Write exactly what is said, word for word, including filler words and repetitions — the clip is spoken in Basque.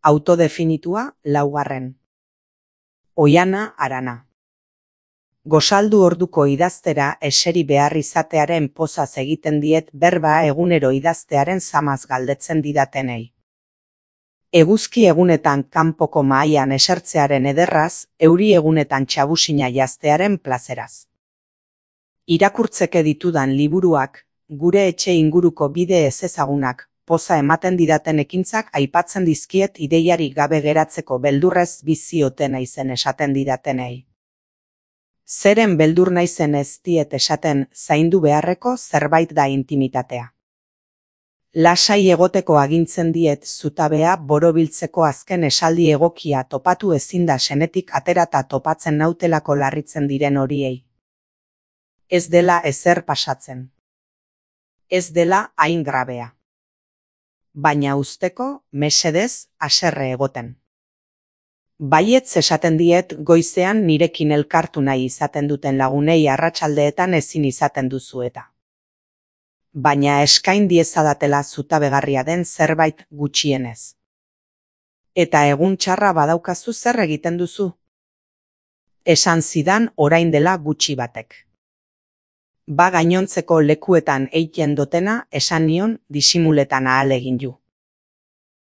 Autodefinitua, laugarren. Oiana, Arana. Gozaldu orduko idaztera eseri behar izatearen pozaz egiten diet berba egunero idaztearen zamaz galdetzen didatenei. Eguzki egunetan kanpoko mahaian esertzearen ederraz, euri egunetan txabusina jaztearen plazeraz. Irakurtzeke ditudan liburuak, gure etxe inguruko bide ezezagunak, poza ematen didaten ekintzak aipatzen dizkiet ideiarik gabe geratzeko beldurrez bizioten naizen esaten didatenei. Zeren beldur naizen ez diet esaten zaindu beharreko zerbait da intimitatea. Lasai egoteko agintzen diet zutabea borobiltzeko azken esaldi egokia topatu ezin da senetik aterata topatzen nautelako larritzen diren horiei. Ez dela ezer pasatzen. Ez dela hain grabea. Baina usteko, mesedez, haserre egoten. Baietz esaten diet goizean nirekin elkartu nahi izaten duten lagunei arratsaldeetan ezin izaten duzu eta. Baina eskain diezadatela zutabegarria den zerbait gutxienez. Eta egun txarra badaukazu zer egiten duzu? Esan zidan orain dela gutxi batek. Ba gainontzeko lekuetan eiten dotena esan nion disimuletan ahalegin ju.